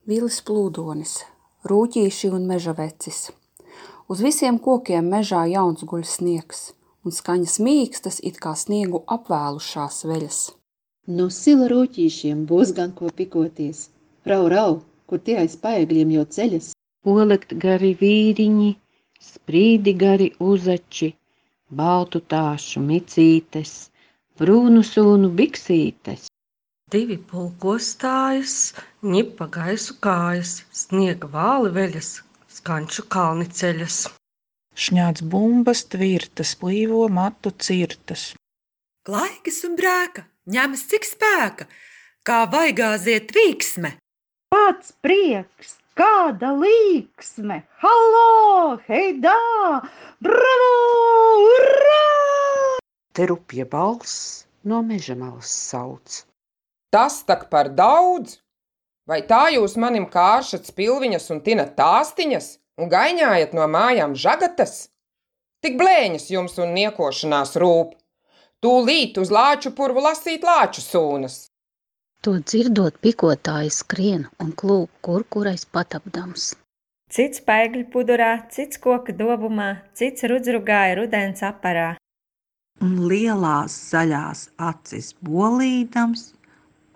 Vilis plūdonis, rūķīši un meža vecis. Uz visiem kokiem mežā jauns guļ sniegs, un skaņas mīkstas it kā sniegu apvēlušās veļas. No sila rūķīšiem būs gan ko pikoties. Rau, rau, kur tie aiz paegļiem jau ceļas. Polekt gari vīriņi, sprīdi gari uzači, baltu tāšu micītes, brūnu sūnu biksītes. Divi pulkostājas, ņipa gaisu kājas, sniega vāli veļas, skanču kalni ceļas. Šņāc bumbas tvirtas, plīvo matu cirtas. Laikas un brēka, ņemas cik spēka, kā vaigāziet vīksme. Pats prieks, kāda līksme, halo, heidā, bravo, urrā! Te rupja balss no meža malas sauc. Tas tak par daudz! Vai tā jūs manim kāršat spilviņas un tinat tāstiņas un gaiņājat no mājām žagatas? Tik blēņas jums un niekošanās rūp. Tūlīt uz lāču purvu lasīt lāču sūnas. To dzirdot, pikotāji skrien un klūp, kurais patapdams. Cits paegļu pudurā, cits koka dobumā, cits rudzrugāja rudens aparā. Un lielās zaļās acis bolīdams,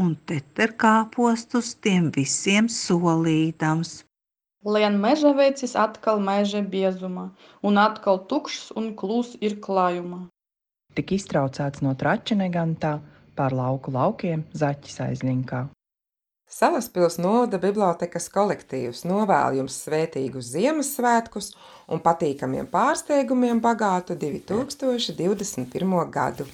un teterkāpostus tiem visiem solīdams. Lien meža vecis atkal meža biezumā, un atkal tukšs un klūs ir klājumā. Tik iztraucēts no trača negantā, pār lauku laukiem zaķis aizlinkā. Salaspils novada bibliotekas kolektīvs novēl jums svētīgus Ziemassvētkus un patīkamiem pārsteigumiem bagātu 2021. gadu.